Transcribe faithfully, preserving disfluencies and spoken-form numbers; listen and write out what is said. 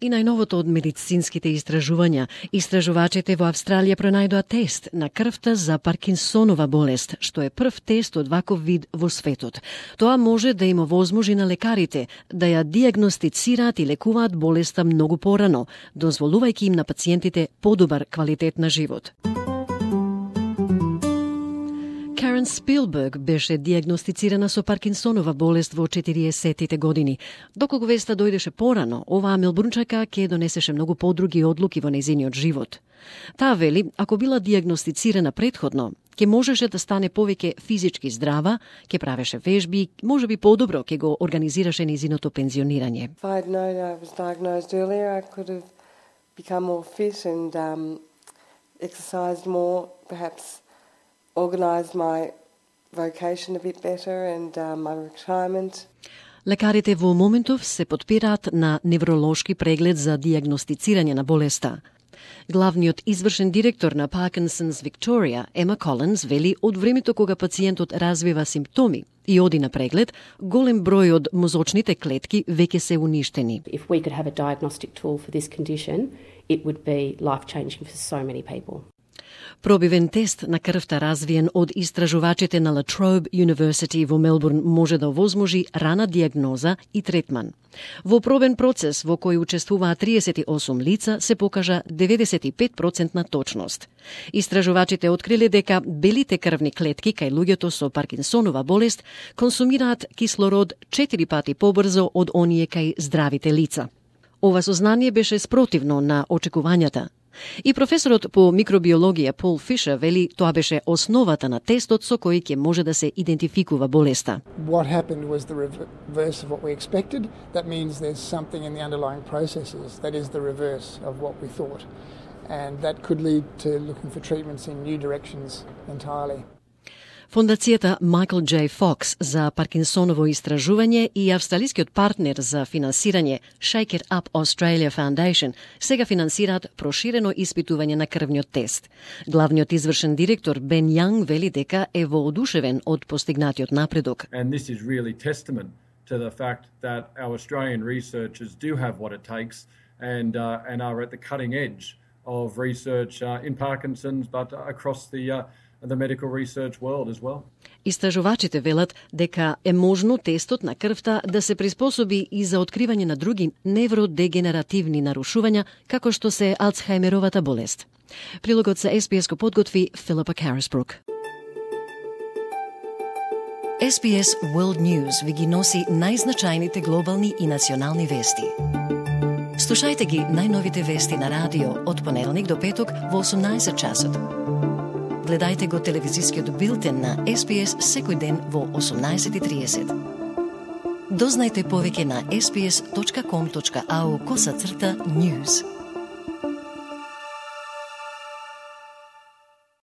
И најновото од медицинските истражувања, истражувачите во Австралија пронајдоа тест на крвта за Паркинсонова болест, што е прв тест од ваков вид во светот. Тоа може да им овозможи на лекарите да ја диагностицираат и лекуваат болеста многу порано, дозволувајќи им на пациентите подобар квалитет на живот. Карен Спилберг беше диагностицирана со Паркинсонова болест во четириесеттите години. Доколку веста дојдеше порано, оваа мелбурнчака ќе донесеше многу подруги одлуки во нејзиниот живот. Таа вели, ако била диагностицирана предходно, ќе можеше да стане повеќе физички здрава, ќе правеше вежби, можеби подобро ќе го организираше нејзиното пензионирање. If I had known I was diagnosed earlier, I could have become more fit and um, exercised more, perhaps organised my vocation a bit better and uh, my retirement. Лекарите во моментов се потпираат на невролошки преглед за диагностицирање на болеста. Главниот извршен директор на Parkinson's Victoria, Ема Колинс, вели од времето кога пациентот развива симптоми и оди на преглед, голем број од мозочните клетки веќе се уништени. If we could have a diagnostic tool for this condition, it would be life-changing for so many people. Пробивен тест на крвта развиен од истражувачите на La Trobe University во Мелбурн може да овозможи рана диагноза и третман. Во пробен процес во кој учествуваат триесет и осум лица се покажа деветдесет и пет проценти точност. Истражувачите откриле дека белите крвни клетки кај луѓето со Паркинсонова болест консумираат кислород четири пати побрзо од оние кај здравите лица. Ова сознание беше спротивно на очекувањата. И професорот по микробиологија Пол Фишер вели тоа беше основата на тестот со кој ќе може да се идентификува болеста. What happened was the reverse of what we expected. That means there's something in the underlying processes that is the reverse of what we thought. And that could lead to looking for treatments in new directions entirely. Фондацијата Michael J. Fox за Паркинсоново истражување и австралискиот партнер за финансирање Shake It Up Australia Foundation сега финансираат проширено испитување на крвниот тест. Главниот извршен директор Бен Јанг вели дека е воодушевен од постигнатиот напредок. And this is really testament to the fact that our Australian researchers do have what it takes and uh, and are at the cutting edge of research uh, in Parkinson's but across the uh, the medical research world as well. Истражувачите велат дека е можно тестот на крвта да се приспособи и за откривање на други невродегенеративни нарушувања, како што се Алцхајмеровата болест. Прилогот за Ес Би Ес го подготви Филипа Карисбрук. Ес Би Ес World News ви ги носи најзначајните глобални и национални вести. Слушајте ги најновите вести на радио од понеделник до петок во осумнаесет часот. Гледајте го телевизискиот билтен на Ес Би Ес секој ден во осумнаесет и триесет. Дознајте повеќе на ес би ес точка ком точка ау косацрта news.